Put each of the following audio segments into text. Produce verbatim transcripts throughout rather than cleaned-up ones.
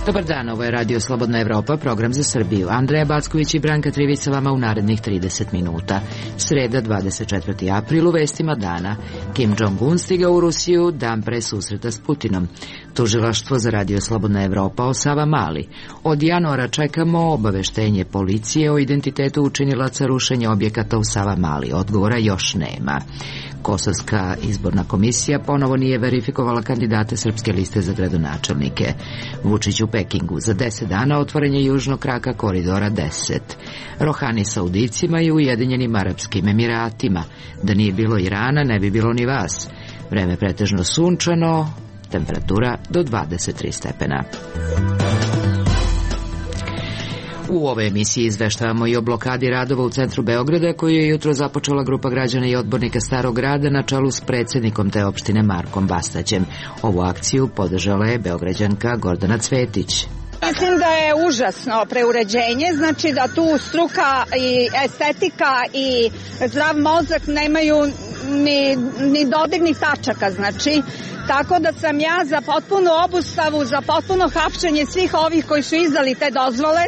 Dobar dan, ovo je Radio Slobodna Evropa, program za Srbiju. Andreja Backović i Branka Trivić sa vama u narednih trideset minuta. Sreda, dvadeset četvrti april, u vestima dana. Kim Jong-un stigao u Rusiju dan pre susreta s Putinom. Tužilaštvo za Radio Slobodna Evropa o Savamali. Od januara čekamo obaveštenje policije o identitetu učinilaca rušenja objekata u Savamali. Odgovora još nema. Kosovska izborna komisija ponovo nije verifikovala kandidate Srpske liste za gradonačelnike. Vučić u Pekingu. Za deset dana otvaranje južnog kraka koridora deset. Rohani Saudicima i Ujedinjenim Arapskim Emiratima. Da nije bilo Irana, ne bi bilo ni vas. Vreme pretežno sunčano, temperatura do dvadeset tri stepena. U ovoj emisiji izveštavamo i o blokadi radova u centru Beograda, koju je jutro započela grupa građana i odbornika Starog grada na čelu s predsjednikom te opštine Markom Bastaćem. Ovu akciju podržala je Beograđanka Gordana Cvetić. Mislim da je užasno preuređenje, znači da tu struka i estetika i zdrav mozak nemaju ni, ni dodirnih tačaka, znači tako da sam ja za potpunu obustavu, za potpuno hapšenje svih ovih koji su izdali te dozvole.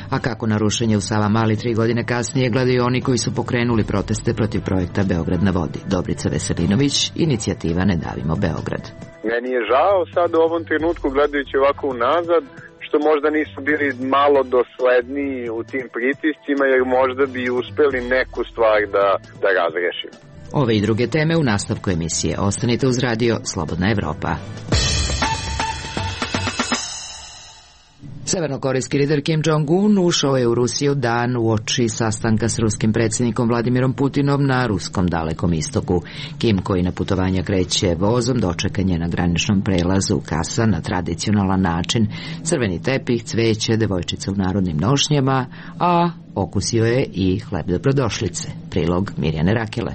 A kako na rušenje u Savamali tri godine kasnije gledaju oni koji su pokrenuli proteste protiv projekta Beograd na vodi. Dobrica Veselinović, inicijativa Ne davimo Beograd. Meni je žao sad u ovom trenutku, gledajući ovako unazad, što možda nisu bili malo dosledniji u tim pritiscima, jer možda bi uspeli neku stvar da, da razrešimo. Ove i druge teme u nastavku emisije. Ostanite uz Radio Slobodna Evropa. Severnokorejski lider Kim Jong-un ušao je u Rusiju dan uoči sastanka s ruskim predsjednikom Vladimirom Putinom na ruskom Dalekom istoku. Kim, koji na putovanja kreće vozom, dočekan je na graničnom prelazu u Kasan na tradicionalan način. Crveni tepih, cveće, devojčice u narodnim nošnjama, a okusio je i hleb dobrodošlice. Prilog Mirjane Rakele.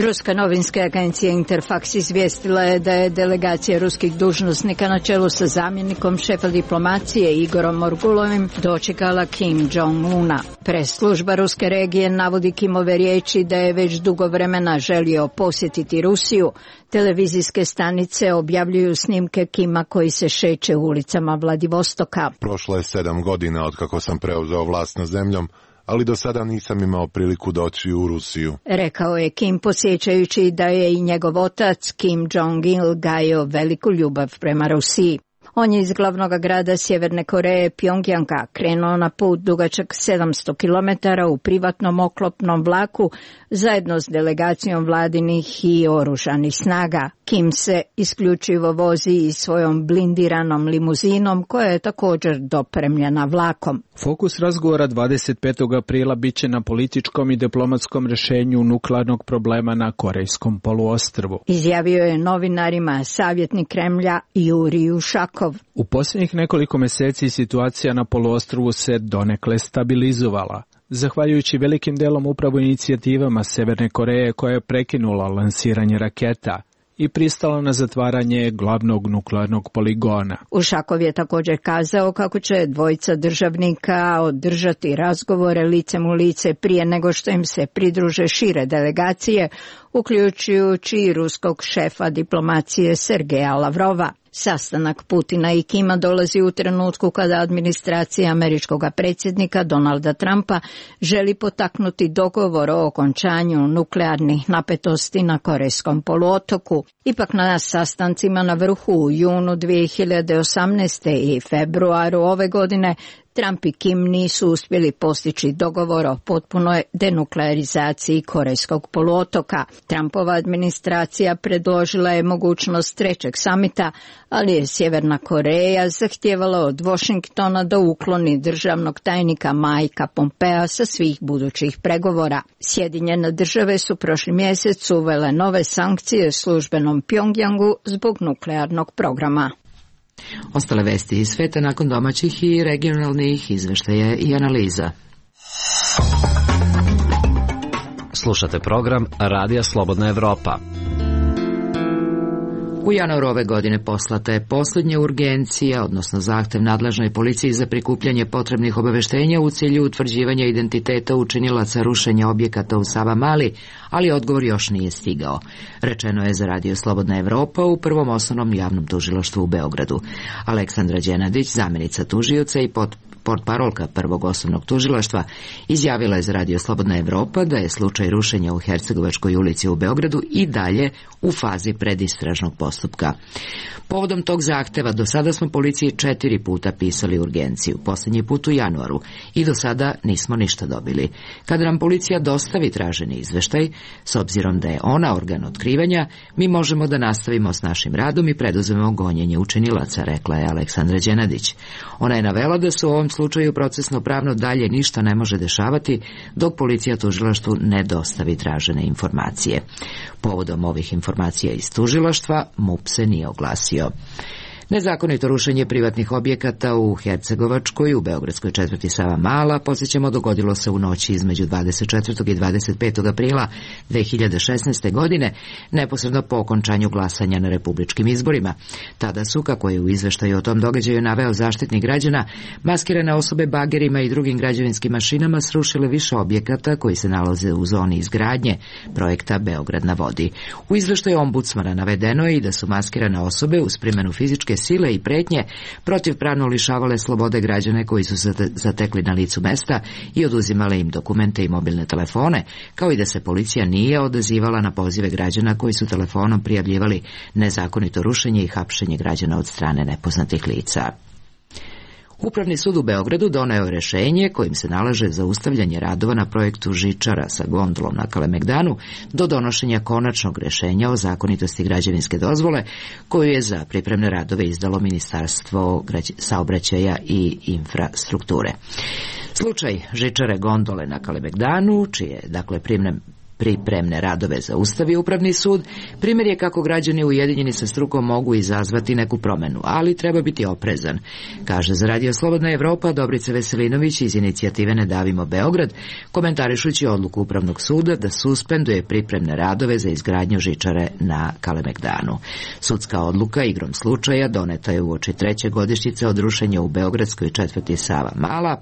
Ruska novinska agencija Interfax izvijestila je da je delegacija ruskih dužnosnika na čelu sa zamjenikom šefa diplomacije Igorom Morgulovim dočekala Kim Jong-una. Pres služba ruske regije navodi Kimove riječi da je već dugo vremena želio posjetiti Rusiju. Televizijske stanice objavljuju snimke Kima koji se šeće ulicama Vladivostoka. Prošlo je sedam godina od kako sam preuzeo vlast nad zemljom, ali do sada nisam imao priliku doći u Rusiju. Rekao je Kim, posjećajući da je i njegov otac Kim Jong-il gajio veliku ljubav prema Rusiji. On je iz glavnog grada Sjeverne Koreje, Pjongjanga, krenuo na put dugačak sedamsto kilometara u privatnom oklopnom vlaku zajedno s delegacijom vladinih i oružanih snaga. Kim se isključivo vozi i svojom blindiranom limuzinom koja je također dopremljena vlakom. Fokus razgovora dvadeset petog aprila biće na političkom i diplomatskom rješenju nuklearnog problema na Korejskom poluostrvu. Izjavio je novinarima savjetnik Kremlja Jurij Ušakov. U posljednjih nekoliko mjeseci situacija na poluostrvu se donekle stabilizovala, zahvaljujući velikim delom upravo inicijativama Severne Koreje koja je prekinula lansiranje raketa i pristala na zatvaranje glavnog nuklearnog poligona. Ušakov je također kazao kako će dvojica državnika održati razgovore licem u lice prije nego što im se pridruže šire delegacije, uključujući i ruskog šefa diplomacije Sergeja Lavrova. Sastanak Putina i Kima dolazi u trenutku kada administracija američkog predsjednika Donalda Trumpa želi potaknuti dogovor o okončanju nuklearnih napetosti na Korejskom poluotoku. Ipak na sastancima na vrhu u junu dvije hiljade osamnaeste. i februaru ove godine Trump i Kim nisu uspjeli postići dogovor o potpunoj denuklearizaciji Korejskog poluotoka. Trumpova administracija predložila je mogućnost trećeg samita, ali je Sjeverna Koreja zahtijevala od Washingtona da ukloni državnog tajnika Mikea Pompea sa svih budućih pregovora. Sjedinjene države su prošli mjesec uvele nove sankcije službenom Pjongjangu zbog nuklearnog programa. Ostale vesti iz sveta nakon domaćih i regionalnih izveštaja i analiza. Slušate program Radija Slobodna Evropa. U januaru ove godine poslata je posljednja urgencija, odnosno zahtev nadležnoj policiji za prikupljanje potrebnih obaveštenja u cilju utvrđivanja identiteta učinilaca rušenja objekata u Savamali, ali odgovor još nije stigao. Rečeno je za Radio Slobodna Evropa u Prvom osnovnom javnom tužilaštvu u Beogradu. Aleksandra Đenadić, zamjenica tužioca i pod portparolka Prvog osnovnog tužilaštva, izjavila je za Radio Slobodna Evropa da je slučaj rušenja u Hercegovačkoj ulici u Beogradu i dalje u fazi predistražnog postupka. Povodom tog zahteva do sada smo policiji četiri puta pisali urgenciju, posljednji put u januaru, i do sada nismo ništa dobili. Kada nam policija dostavi traženi izveštaj, s obzirom da je ona organ otkrivanja, mi možemo da nastavimo s našim radom i preduzmemo gonjenje učinilaca, rekla je Aleksandra Đenadić. Ona je navela da se u ovom slučaju procesno pravno dalje ništa ne može dešavati dok policija tužilaštvu ne dostavi tražene informacije. Povodom ovih informacija iz tužilaštva MUP se nije oglasio. Nezakonito rušenje privatnih objekata u Hercegovačkoj, u beogradskoj četvrti Savamala, podsjećamo, dogodilo se u noći između dvadeset četvrtog i dvadeset petog aprila dve hiljade šesnaeste. godine, neposredno po okončanju glasanja na republičkim izborima. Tada su, kako je u izveštaju o tom događaju naveo Zaštitnik građana, maskirane osobe bagerima i drugim građevinskim mašinama srušile više objekata koji se nalaze u zoni izgradnje projekta Beograd na vodi. U izveštaju ombudsmana navedeno je i da su maskirane osobe uz primjenu fizičke sile i pretnje protivpravno lišavale slobode građane koji su se zatekli na licu mesta i oduzimale im dokumente i mobilne telefone, kao i da se policija nije odazivala na pozive građana koji su telefonom prijavljivali nezakonito rušenje i hapšenje građana od strane nepoznatih lica. Upravni sud u Beogradu doneo je rešenje kojim se nalaže zaustavljanje radova na projektu žičara sa gondolom na Kalemegdanu do donošenja konačnog rešenja o zakonitosti građevinske dozvole koju je za pripremne radove izdalo Ministarstvo saobraćaja i infrastrukture. Slučaj žičare gondole na Kalemegdanu, čije dakle pripremne pripremne radove zaustavio Upravni sud, primjer je kako građani ujedinjeni sa strukom mogu izazvati neku promenu, ali treba biti oprezan, kaže za Radio Slobodna Evropa Dobrica Veselinović iz inicijative Ne davimo Beograd, komentarišući odluku Upravnog suda da suspenduje pripremne radove za izgradnju žičare na Kalemegdanu. Sudska odluka igrom slučaja doneta je uoči treće godišnjice od rušenja u beogradskoj četvrti Savamala,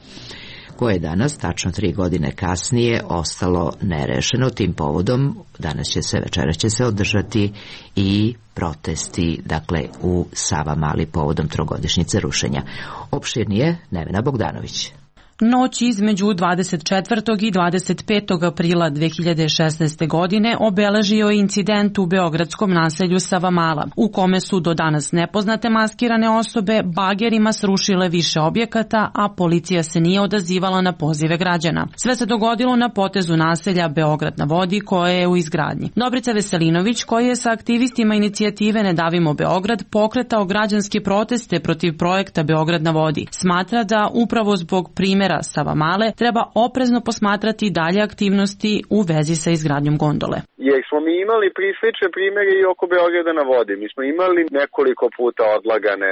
koje je danas, tačno tri godine kasnije, ostalo nerešeno. Tim povodom danas će se, večeras će se održati i protesti, dakle, u Savamali povodom trogodišnjice rušenja. Opširnije Nevena Bogdanović. Noć između dvadeset četvrtog i dvadeset petog aprila dve hiljade šesnaeste. godine obeležio je incident u beogradskom naselju Savamala, u kome su do danas nepoznate maskirane osobe bagerima srušile više objekata, a policija se nije odazivala na pozive građana. Sve se dogodilo na potezu naselja Beograd na vodi, koje je u izgradnji. Dobrica Veselinović, koji je sa aktivistima inicijative Ne davimo Beograd pokretao građanske proteste protiv projekta Beograd na vodi, smatra da upravo zbog primjera Savamale treba oprezno posmatrati dalje aktivnosti u vezi sa izgradnjom gondole. Jer smo mi imali prislične primjere i oko Beograda na vodi. Mi smo imali nekoliko puta odlagane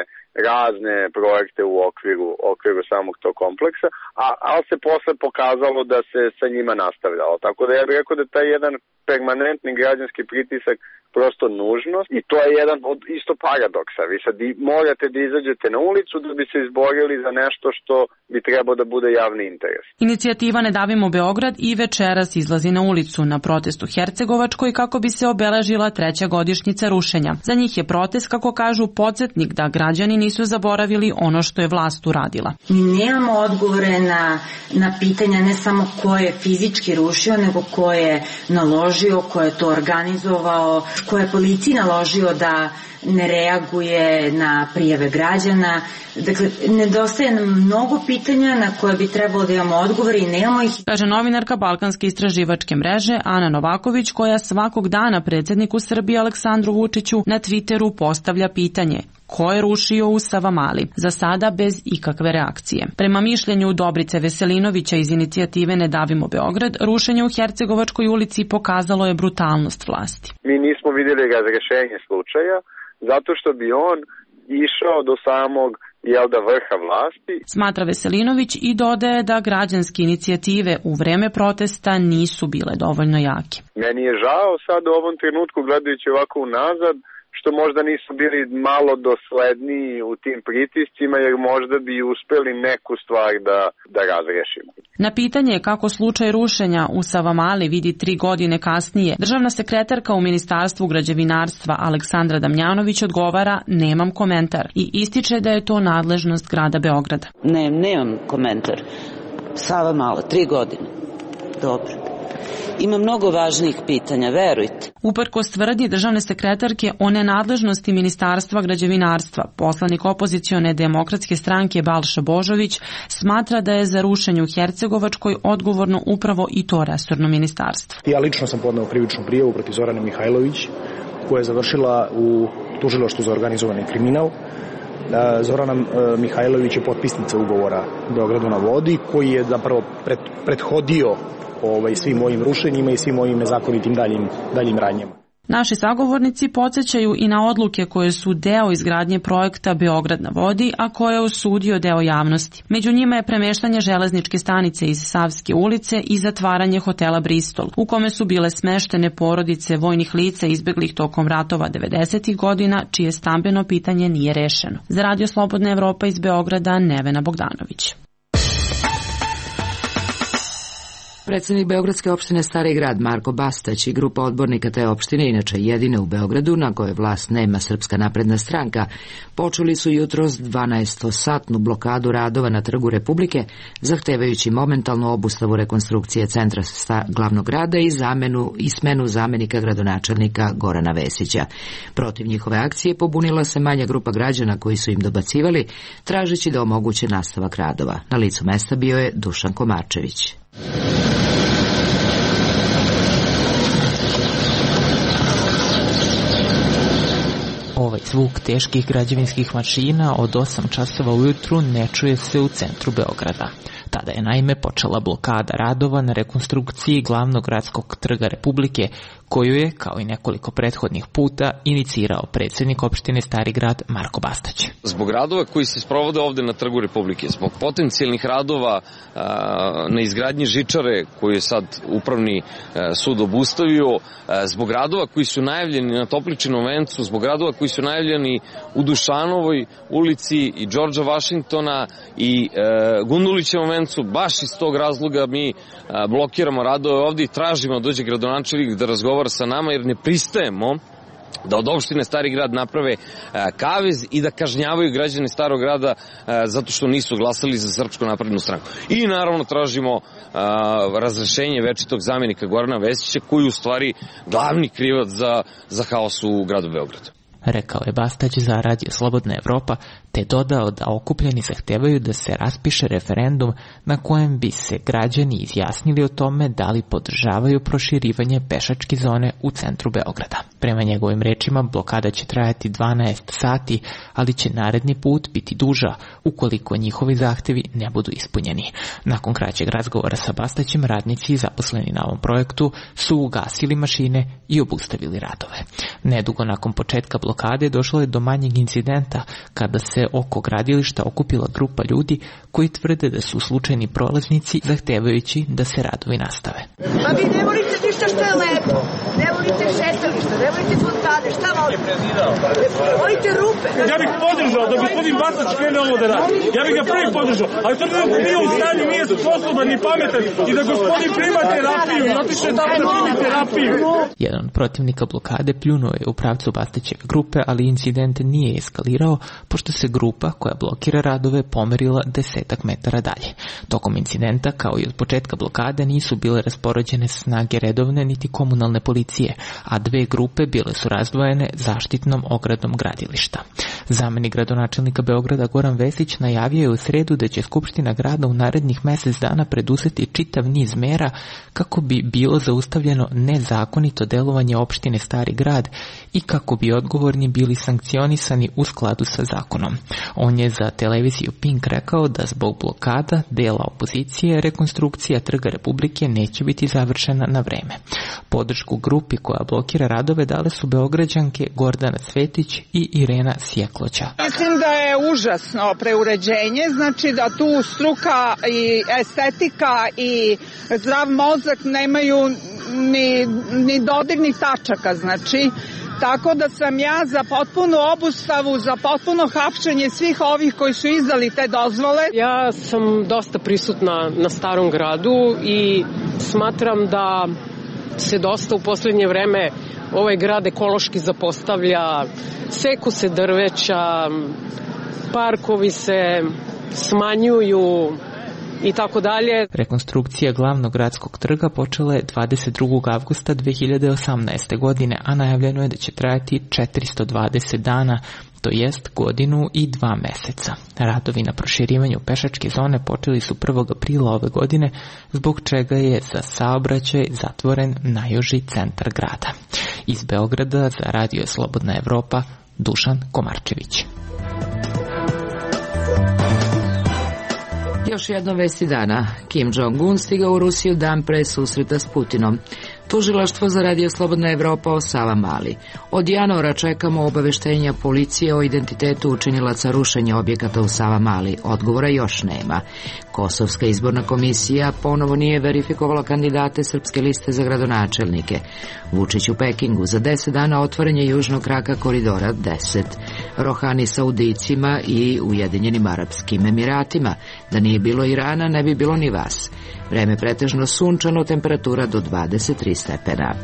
razne projekte u okviru, okviru samog tog kompleksa, a, ali se posle pokazalo da se sa njima nastavljalo. Tako da ja bih rekao da taj jedan permanentni građanski pritisak prosto nužnost i to je jedan od isto paradoksa. Vi sad morate da izađete na ulicu da bi se izborili za nešto što bi trebao da bude javni interes. Inicijativa Ne davimo Beograd i večeras izlazi na ulicu na protestu Hercegovačkoj kako bi se obeležila treća godišnjica rušenja. Za njih je protest, kako kažu, podsjetnik da građani nisu zaboravili ono što je vlast uradila. Mi nemamo odgovore na, na pitanja ne samo ko je fizički rušio, nego ko je naložio, ko je to organizovao, ko je policiji naložio da ne reaguje na prijave građana. Dakle, nedostaje nam mnogo pitanja na koje bi trebalo da imamo odgovore i nemamo ih. Kaže novinarka Balkanske istraživačke mreže Ana Novaković, koja svakog dana predsjedniku Srbije Aleksandru Vučiću na Twitteru postavlja pitanje: ko je rušio u Savamali? Za sada bez ikakve reakcije. Prema mišljenju Dobrice Veselinovića iz inicijative Ne davimo Beograd, rušenje u Hercegovačkoj ulici pokazalo je brutalnost vlasti. Mi nismo vidjeli razrešenje slučaja zato što bi on išao do samog jel da vrha vlasti. Smatra Veselinović i dodaje da građanske inicijative u vreme protesta nisu bile dovoljno jake. Meni je žao sad u ovom trenutku, gledajući ovako unazad, što možda nisu bili malo dosledniji u tim pritiscima, jer možda bi uspeli neku stvar da, da razrešimo. Na pitanje kako slučaj rušenja u Savamali vidi tri godine kasnije, državna sekretarka u Ministarstvu građevinarstva Aleksandra Damjanović odgovara: nemam komentar, i ističe da je to nadležnost grada Beograda. Ne, nemam komentar. Savamala, tri godine. Dobro. Ima mnogo važnijih pitanja, verujte. Uprkos tvrdnji državne sekretarke o nenadležnosti Ministarstva građevinarstva, poslanik opozicione demokratske stranke Balša Božović smatra da je za rušenje u Hercegovačkoj odgovorno upravo i to resorno ministarstvo. Ja lično sam podneo krivičnu prijavu protiv Zorane Mihajlović, koja je završila u tužilaštvu za organizovani kriminal. Zorana Mihajlović je potpisnica ugovora Beogradu na vodi, koji je zapravo prethodio Ovaj, svim mojim rušenjima i svim mojim nezakonitim daljim, daljim radnjama. Naši sagovornici podsjećaju i na odluke koje su deo izgradnje projekta Beograd na vodi, a koje je osudio deo javnosti. Među njima je premeštanje železničke stanice iz Savske ulice i zatvaranje hotela Bristol, u kome su bile smeštene porodice vojnih lica izbeglih tokom ratova devedesetih godina, čije stambeno pitanje nije rešeno. Za Radio Slobodna Evropa iz Beograda, Nevena Bogdanović. Predsednik Beogradske opštine Stari grad Marko Bastać i grupa odbornika te opštine, inače jedine u Beogradu, na kojoj vlast nema Srpska napredna stranka, počeli su jutros dvanaestosatnu blokadu radova na Trgu Republike, zahtevajući momentalnu obustavu rekonstrukcije centra glavnog grada i zamenu i smenu zamenika gradonačelnika Gorana Vesića. Protiv njihove akcije pobunila se manja grupa građana koji su im dobacivali, tražeći da omoguće nastavak radova. Na licu mesta bio je Dušan Komarčević. Ovaj zvuk teških građevinskih mašina od osam časova ujutru ne čuje se u centru Beograda. Tada je naime počela blokada radova na rekonstrukciji glavnog gradskog trga Republike, koju je, kao i nekoliko prethodnih puta, inicirao predsednik opštine Stari grad Marko Bastać. Zbog radova koji se sprovode ovde na Trgu Republike, zbog potencijalnih radova a, na izgradnji žičare koju je sad Upravni a, sud obustavio, a, zbog radova koji su najavljeni na Topličinom vencu, zbog radova koji su najavljeni u Dušanovoj ulici i Đorđa Vašingtona i a, Gundulićevom vencu, baš iz tog razloga mi a, blokiramo radove ovde i tražimo da dođe gradonačelnik da razgovara sa nama, jer ne pristajemo da od opštine Stari grad naprave kavez i da kažnjavaju građane Starog grada zato što nisu glasali za Srpsku naprednu stranku. I naravno tražimo razrešenje večitog zamenika Gorana Vesića, koji je u stvari glavni krivac za, za haos u gradu Beogradu. Rekao je Bastać za Radio Slobodna Evropa, te dodao da okupljeni zahtevaju da se raspiše referendum na kojem bi se građani izjasnili o tome da li podržavaju proširivanje pešačke zone u centru Beograda. Prema njegovim rečima, blokada će trajati dvanaest sati, ali će naredni put biti duža ukoliko njihovi zahtevi ne budu ispunjeni. Nakon kraćeg razgovora sa Bastaćem, radnici zaposleni na ovom projektu su ugasili mašine i obustavili radove. Nedugo nakon početka blokade došlo je do manjeg incidenta kada se oko gradilišta okupila grupa ljudi koji tvrde da su slučajni prolaznici, zahtevajući da se radovi nastave. Pa vi ne volite ništa što je lepo, ne volite šetališta, ne volite fontane, šta volite? Volite rupe. Ja bih podržao da gospodin Bastać krene ovo da radi. Ja bih ga prvi podržao, ali to nije u stanju, nije sposoban ni pametan i da gospodin prima terapiju, zato što je tamo da primi terapiju. Jedan od protivnika blokade pljunuo je u pravcu Bastaćeve grupe, ali incident nije eskalirao, pošto se grupa koja blokira radove pomerila desetak metara dalje. Tokom incidenta, kao i od početka blokade, nisu bile raspoređene snage redovne niti komunalne policije, a dve grupe bile su razdvojene zaštitnom ogradom gradilišta. Zamenik gradonačelnika Beograda Goran Vesić najavio je u sredu da će Skupština grada u narednih mesec dana preduzeti čitav niz mera kako bi bilo zaustavljeno nezakonito delovanje opštine Stari grad i kako bi odgovorni bili sankcionisani u skladu sa zakonom. On je za televiziju Pink rekao da zbog blokada dela opozicije rekonstrukcija Trga Republike neće biti završena na vreme. Podršku grupi koja blokira radove dale su Beograđanke Gordana Cvetić i Irena Sjekloća. Mislim da je užasno preuređenje, znači da tu struka i estetika i zdrav mozak nemaju ni, ni dodirnih tačaka, znači Tako da sam ja za potpunu obustavu, za potpuno hapšenje svih ovih koji su izdali te dozvole. Ja sam dosta prisutna na Starom gradu i smatram da se dosta u poslednje vreme ovaj grad ekološki zapostavlja, seku se drveća, parkovi se smanjuju i tako dalje. Rekonstrukcija glavnog gradskog trga počela je dvadeset drugog avgusta dve hiljade osamnaeste. godine, a najavljeno je da će trajati četiristo dvadeset dana, to jest godinu i dva meseca. Radovi na proširivanju pešačke zone počeli su prvog aprila ove godine, zbog čega je za saobraćaj zatvoren najuži centar grada. Iz Beograda za Radio Slobodna Evropa, Dušan Komarčević. Još jedno vesti dana. Kim Jong-un stigao u Rusiju dan pre susreta s Putinom. Tužilaštvo za Radio Slobodna Evropa o Savamali. Od januara čekamo obaveštenja policije o identitetu učinilaca rušenja objekata u Savamali. Odgovora još nema. Kosovska izborna komisija ponovo nije verifikovala kandidate Srpske liste za gradonačelnike. Vučić u Pekingu, za deset dana otvaranje južnog kraka koridora deset. Rohani Saudijcima i Ujedinjenim Arapskim Emiratima. Da nije bilo Irana, ne bi bilo ni vas. Vreme pretežno sunčano, temperatura do dvadeset tri stepena.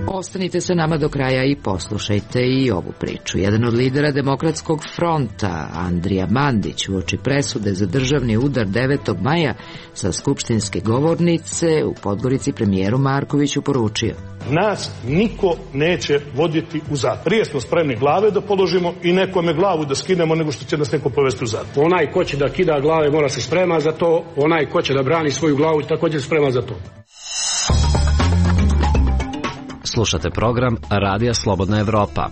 Ostanite sa nama do kraja i poslušajte i ovu priču. Jedan od lidera Demokratskog fronta, Andrija Mandić, uoči presude za državni udar devetog maja sa skupštinske govornice u Podgorici premijeru Markoviću poručio: nas niko neće voditi u zatvor. Prije smo spremni glave da položimo i nekome glavu da skinemo nego što će nas neko povesti u zatvor. Onaj ko će da kida glave mora se sprema za to, onaj ko će da brani svoju glavu također sprema za to. Slušate program Radija Slobodna Evropa.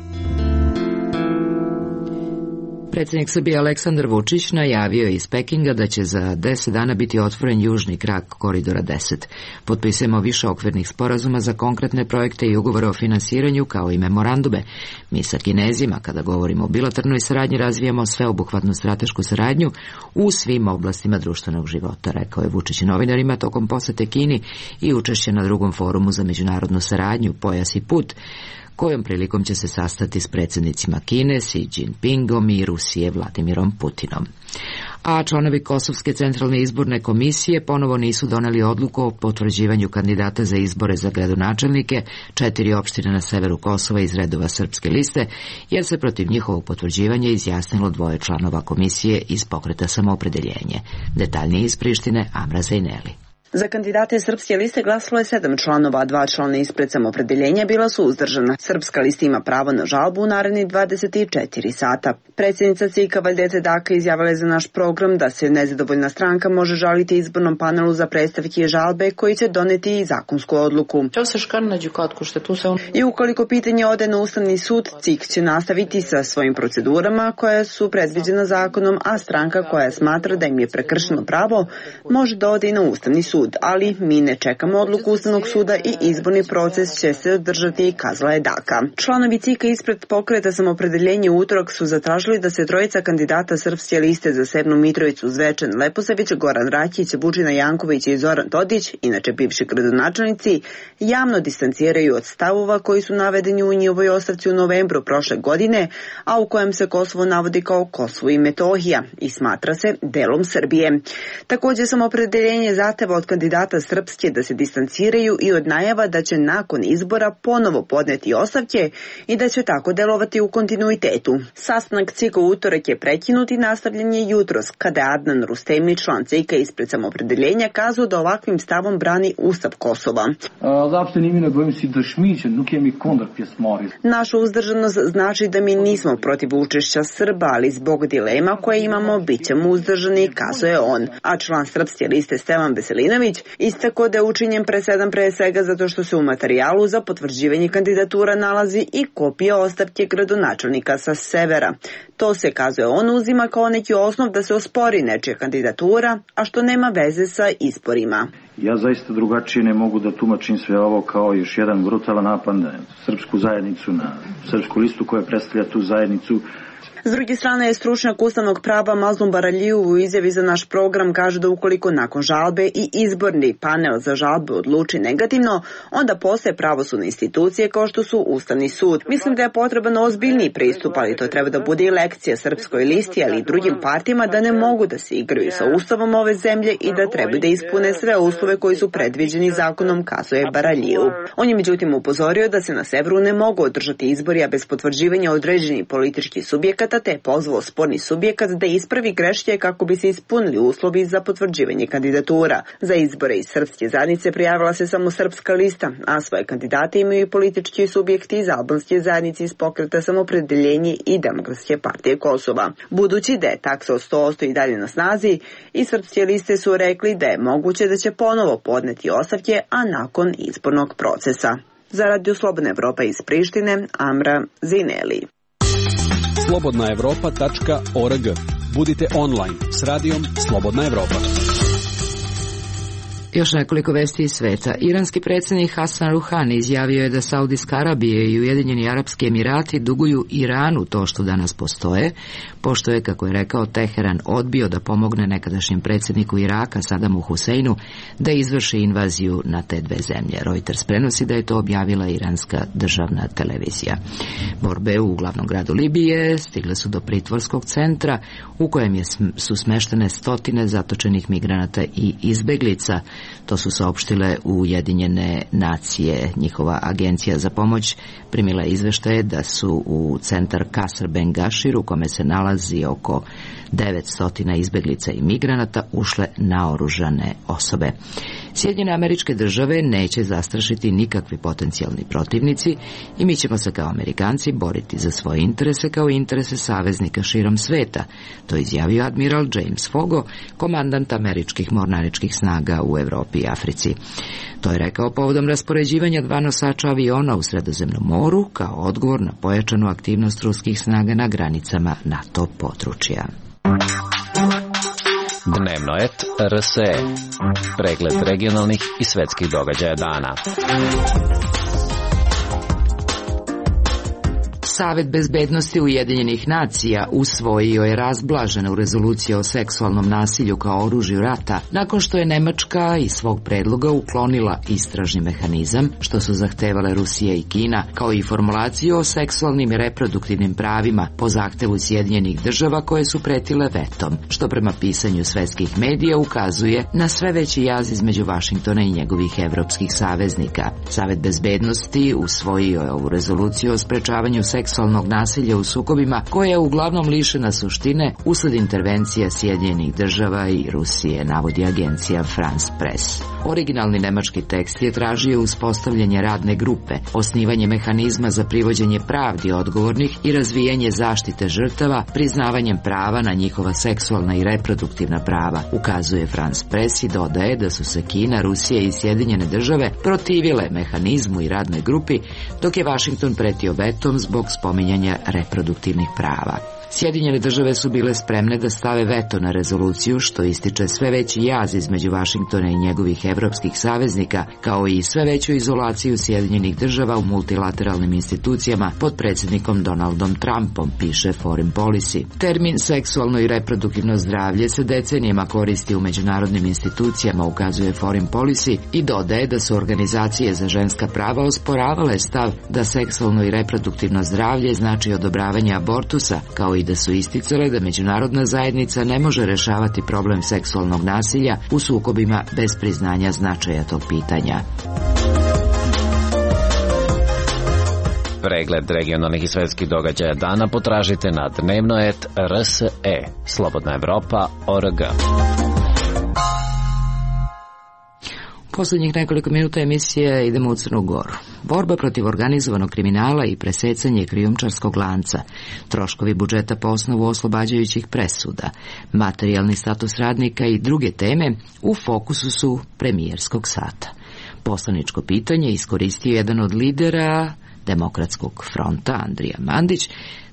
Predsjednik Srbije Aleksandar Vučić najavio iz Pekinga da će za deset dana biti otvoren južni krak koridora deset. Potpisujemo više okvirnih sporazuma za konkretne projekte i ugovore o finansiranju, kao i memorandume. Mi sa Kinezima, kada govorimo o bilateralnoj saradnji, razvijamo sveobuhvatnu stratešku saradnju u svim oblastima društvenog života, rekao je Vučić novinarima tokom posete Kini i učešće na drugom forumu za međunarodnu saradnju Pojas i put, kojom prilikom će se sastati s predsjednicima Kine, Xi Jinpingom i Rusije Vladimirom Putinom. A članovi Kosovske centralne izborne komisije ponovo nisu doneli odluku o potvrđivanju kandidata za izbore za gradonačelnike četiri opštine na severu Kosova iz redova Srpske liste, jer se protiv njihovog potvrđivanja izjasnilo dvoje članova komisije iz Pokreta samoopredeljenje. Detaljnije iz Prištine, Amra Zejneli. Za kandidate Srpske liste glasalo je sedam članova, a dva člana ispred samoopredeljenja bila su uzdržana. Srpska lista ima pravo na žalbu u narednih dvadeset četiri sata. Predsjednica C I K-a Valjete Daka izjavila je za naš program da se nezadovoljna stranka može žaliti izbornom panelu za predstavke i žalbe koji će doneti i zakonsku odluku. I ukoliko pitanje ode na Ustavni sud, C I K će nastaviti sa svojim procedurama koje su predviđena zakonom, a stranka koja smatra da im je prekršeno pravo može da ode i na Ustavni sud. Ali mi ne čekamo odluku Ustavnog suda i izborni proces će se održati, kazala je Daka. Članovi C I K-a ispred Pokreta samoopredeljenje u utorak su zatražili da se trojica kandidata Srpske liste za Severnu Mitrovicu, Zvečan Leposavić, Goran Rakić, Vučina Janković i Zoran Todić, inače bivši gradonačelnici, javno distanciraju od stavova koji su navedeni u njihovoj ostavci u novembru prošle godine, a u kojem se Kosovo navodi kao Kosovo i Metohija i smatra se delom Srbije. Također samoopredeljenje zahteva od kandidata Srpske da se distanciraju i od najava da će nakon izbora ponovo podneti ostavke i da će tako delovati u kontinuitetu. Sastanak C I K-a u utorak je prekinut i nastavljen je jutros, kada je Adnan Rustemi, član C I K-a ispred samoopredeljenja, kazao da ovakvim stavom brani Ustav Kosova. Naša uzdržanost znači da mi nismo protiv učešća Srba, ali zbog dilema koje imamo bit ćemo uzdržani, kazao je on. A član Srpske liste Stevan Veselinović istako da je učinjen presedan pre svega zato što se u materijalu za potvrđivanje kandidatura nalazi i kopija ostavke gradonačelnika sa severa. To se, kazuje on, uzima kao neki osnov da se ospori nečija kandidatura, a što nema veze sa izborima. Ja zaista drugačije ne mogu da tumačim sve ovo kao još jedan brutalan napad na srpsku zajednicu, na srpsku listu koja predstavlja tu zajednicu. S druge strane, stručnjak ustavnog prava Mazlum Baraliju u izjavi za naš program kaže da ukoliko nakon žalbe i izborni panel za žalbe odluči negativno, onda postoje pravosudne institucije kao što su Ustavni sud. Mislim da je potreban ozbiljniji pristup, ali to treba da bude i lekcija Srpskoj listi, ali i drugim partijama da ne mogu da se igraju sa ustavom ove zemlje i da trebaju da ispune sve uslove koji su predviđeni zakonom, kazuje Baraliju. On je međutim upozorio da se na severu ne mogu održati izbori, a bez potvrđivanja određenih političkih subjekata, te je pozvao sporni subjekat da ispravi greške kako bi se ispunili uslovi za potvrđivanje kandidatura. Za izbore iz srpske zajednice prijavila se samo Srpska lista, a svoje kandidate imaju i politički subjekti iz albanske zajednice iz Pokreta Samopredeljenje i Demokratske partije Kosova. Budući da je taksa od sto posto i dalje na snazi, i Srpske liste su rekli da je moguće da će ponovo podneti ostavke, a nakon izbornog procesa. Za Radio Slobodna Evropa iz Prištine, Amra Zineli. slobodna evropa tačka org. Budite online s radijom Slobodna Evropa. Još nekoliko vesti iz sveta. Iranski predsjednik Hasan Ruhani izjavio je da Saudijska Arabija i Ujedinjeni Arapski Emirati duguju Iranu to što danas postoje, pošto je, kako je rekao, Teheran odbio da pomogne nekadašnjem predsjedniku Iraka Sadamu Huseinu da izvrši invaziju na te dve zemlje. Reuters prenosi da je to objavila iranska državna televizija. Borbe u glavnom gradu Libije stigle su do pritvorskog centra u kojem je, su smeštene stotine zatočenih migranata i izbeglica. To su saopštile Ujedinjene nacije. Njihova agencija za pomoć primila izveštaje da su u centar Kasr Bengašir, u kome se nalazi oko devetsto izbeglica i migranata, ušle naoružane osobe. Sjedinjene Američke Države neće zastrašiti nikakvi potencijalni protivnici i mi ćemo se kao Amerikanci boriti za svoje interese kao i interese saveznika širom sveta. To je izjavio admiral James Fogo, komandant američkih mornaričkih snaga u Evropi i Africi. To je rekao povodom raspoređivanja dva nosača aviona u Sredozemnom moru kao odgovor na pojačanu aktivnost ruskih snaga na granicama NATO područja. Dnevno et R S E. Pregled regionalnih i svetskih događaja dana. Savet bezbednosti Ujedinjenih nacija usvojio je razblaženu rezoluciju o seksualnom nasilju kao oružju rata nakon što je Nemačka iz svog predloga uklonila istražni mehanizam što su zahtevale Rusija i Kina, kao i formulaciju o seksualnim i reproduktivnim pravima po zahtevu Sjedinjenih država koje su pretile vetom, što prema pisanju svetskih medija ukazuje na sve veći jaz između Vašingtona i njegovih evropskih saveznika. Savet bezbednosti usvojio je ovu rezoluciju o sprečavanju seksualnog nasilja u sukobima koja je uglavnom lišena suštine usled intervencija Sjedinjenih država i Rusije, navodi agencija France Press. Originalni nemački tekst je tražio uspostavljanje radne grupe, osnivanje mehanizma za privođenje pravdi odgovornih i razvijanje zaštite žrtava priznavanjem prava na njihova seksualna i reproduktivna prava, ukazuje France Press i dodaje da su se Kina, Rusija i Sjedinjene države protivile mehanizmu i radnoj grupi, dok je Vašington pretio vetom zbog spominjanja reproduktivnih prava. Sjedinjene države su bile spremne da stave veto na rezoluciju, što ističe sve veći jaz između Vašingtona i njegovih evropskih saveznika, kao i sve veću izolaciju Sjedinjenih država u multilateralnim institucijama pod predsjednikom Donaldom Trumpom, piše Foreign Policy. Termin seksualno i reproduktivno zdravlje se decenijama koristi u međunarodnim institucijama, ukazuje Foreign Policy, i dodaje da su organizacije za ženska prava osporavale stav da seksualno i reproduktivno zdravlje znači odobravanje abortusa, kao i da su isticale da međunarodna zajednica ne može rešavati problem seksualnog nasilja u sukobima bez priznanja značaja tog pitanja. Pregled regionalnih i svetskih događaja dana potražite na dnevno et R S E. Slobodna Evropa org. Poslednjih nekoliko minuta emisije idemo u Crnu Goru. Borba protiv organizovanog kriminala i presecanje krijumčarskog lanca, troškovi budžeta po osnovu oslobađajućih presuda, materijalni status radnika i druge teme u fokusu su premijerskog sata. Poslaničko pitanje iskoristio jedan od lidera Demokratskog fronta, Andrija Mandić,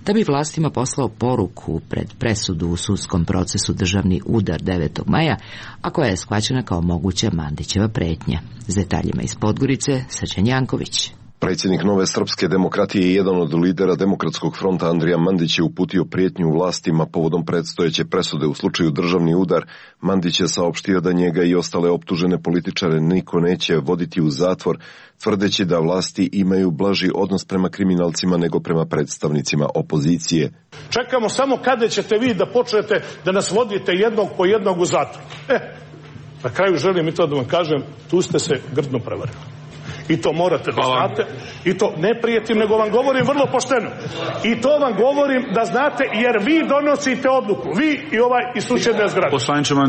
da bi vlastima poslao poruku pred presudu u sudskom procesu državni udar devetog maja, a koja je shvaćena kao moguća Mandićeva pretnja. S detaljima iz Podgorice, Srđan Janković. Predsjednik Nove srpske demokratije i jedan od lidera Demokratskog fronta Andrija Mandić je uputio prijetnju vlastima povodom predstojeće presude u slučaju državni udar. Mandić je saopštio da njega i ostale optužene političare niko neće voditi u zatvor, tvrdeći da vlasti imaju blaži odnos prema kriminalcima nego prema predstavnicima opozicije. Čekamo samo kada ćete vi da počnete da nas vodite jednog po jednog u zatvor. E, na kraju želim i to da vam kažem, tu ste se grdno prevarili. I to morate da znate. I to ne prijetim, nego vam govorim vrlo pošteno. I to vam govorim da znate, jer vi donosite odluku. Vi i ovaj iz susjedne zgrade.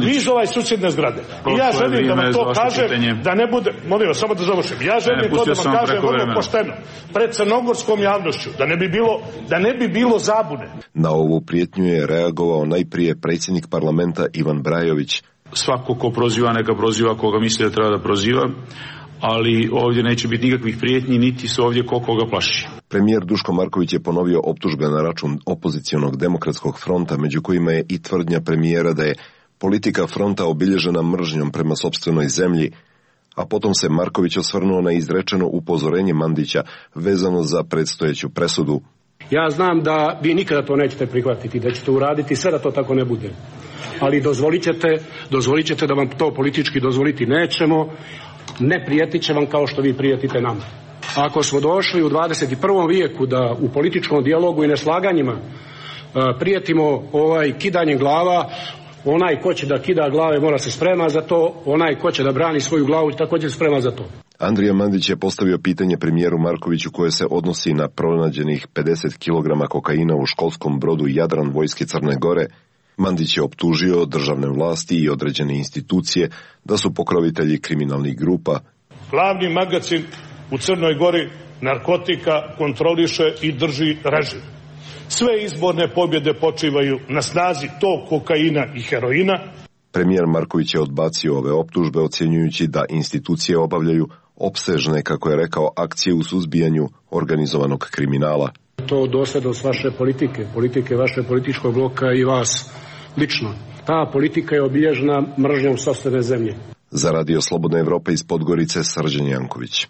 Vi iz ovaj susjedne zgrade. I ja želim da vam to kažem, da ne bude, molim vas, samo da završim. Ja želim to da vam kažem vrlo pošteno. Pred crnogorskom javnošću. Da ne bi bilo, da ne bi bilo zabune. Na ovu prijetnju je reagovao najprije predsjednik parlamenta Ivan Brajović. Svako ko proziva, neka proziva koga misli da treba da proziva, ali ovdje neće biti nikakvih prijetnji, niti se ovdje ko koga plaši. Premijer Duško Marković je ponovio optužbe na račun opozicionog Demokratskog fronta, među kojima je i tvrdnja premijera da je politika fronta obilježena mržnjom prema sopstvenoj zemlji, a potom se Marković osvrnuo na izrečeno upozorenje Mandića vezano za predstojeću presudu. Ja znam da vi nikada to nećete prihvatiti, da ćete uraditi sve da to tako ne bude. Ali dozvolit ćete, dozvolit ćete da vam to politički dozvoliti nećemo, ne prijetit će vam kao što vi prijetite nama. Ako smo došli u dvadeset i prvom vijeku da u političkom dijalogu i neslaganjima prijetimo ovaj kidanjem glava, onaj ko će da kida glave mora se sprema za to, onaj ko će da brani svoju glavu također sprema za to. Andrija Mandić je postavio pitanje premijeru Markoviću koje se odnosi na pronađenih pedeset kilograma kokaina u školskom brodu Jadran vojske Crne Gore. Mandić je optužio državne vlasti i određene institucije da su pokrovitelji kriminalnih grupa. Glavni magacin u Crnoj Gori narkotika kontroliše i drži režim. Sve izborne pobjede počivaju na snazi tog kokaina i heroina. Premijer Marković je odbacio ove optužbe, ocjenjujući da institucije obavljaju opsežne, kako je rekao, akcije u suzbijanju organizovanog kriminala. To dosljednost vaše politike, politike vaše političkog bloka i vas lično. Ta politika je obilježena mržnjom sopstvene zemlje. Za Radio Slobodna Evropa iz Podgorice, Srđan Janković.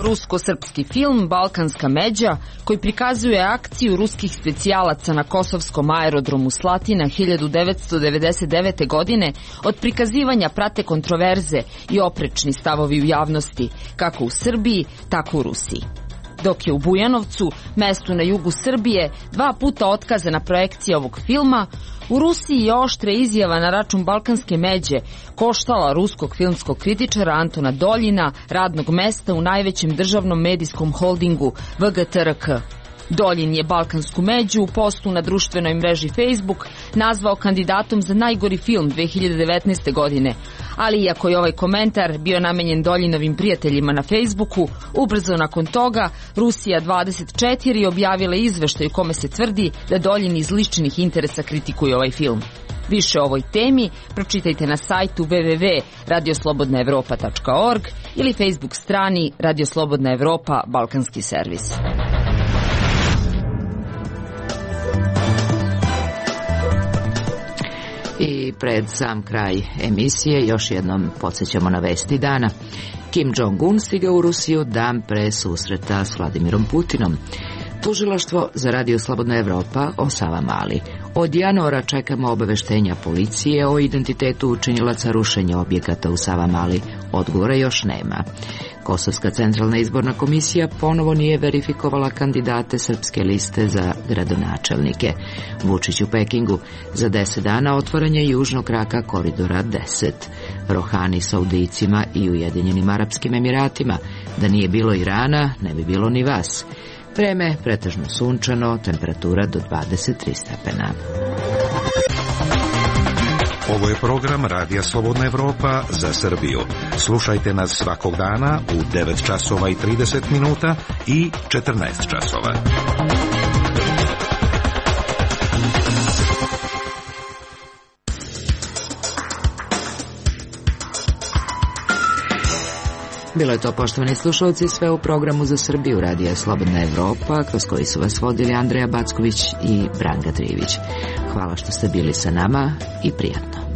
Rusko-srpski film Balkanska međa, koji prikazuje akciju ruskih specijalaca na kosovskom aerodromu Slatina hiljadu devetsto devedeset devete. godine, od prikazivanja prate kontroverze i oprečni stavovi u javnosti, kako u Srbiji, tako u Rusiji. Dok je u Bujanovcu, mestu na jugu Srbije, dva puta otkazana projekcija ovog filma, u Rusiji je oštra izjava na račun Balkanske međe koštala ruskog filmskog kritičara Antona Doljina radnog mesta u najvećem državnom medijskom holdingu V G T R K. Doljin je Balkansku među u postu na društvenoj mreži Facebook nazvao kandidatom za najgori film dve hiljade devetnaeste. godine, ali iako je ovaj komentar bio namenjen Doljinovim prijateljima na Facebooku, ubrzo nakon toga Rusija dvadeset četiri objavila izveštaj u kome se tvrdi da Doljin iz ličnih interesa kritikuje ovaj film. Više o ovoj temi pročitajte na sajtu w w w tačka radio slobodna evropa tačka org ili Facebook strani Radio Slobodna Evropa Balkanski servis. I pred sam kraj emisije još jednom podsjećamo na vesti dana. Kim Jong-un stiga u Rusiju dan pre susreta s Vladimirom Putinom. Tužilaštvo za Radio Slobodna Evropa o Savamali. Od januara čekamo obaveštenja policije o identitetu učinilaca rušenja objekata u Savamali. Odgovora još nema. Kosovska centralna izborna komisija ponovo nije verifikovala kandidate srpske liste za gradonačelnike. Vučić u Pekingu. Za deset dana otvaranje južnog kraka koridora deset. Rohani Saudijcima i Ujedinjenim Arapskim Emiratima. Da nije bilo Irana, ne bi bilo ni vas. Vreme pretežno sunčano, temperatura do dvadeset tri stepena. Ovo je program Radija Slobodna Evropa za Srbiju. Slušajte nas svakog dana u devet časova i trideset minuta i četrnaest časova. Bilo je to, poštovani slušalci, sve u programu za Srbiju Radija Slobodna Evropa, kroz koji su vas vodili Andreja Backović i Branka Trivić. Hvala što ste bili sa nama i prijatno.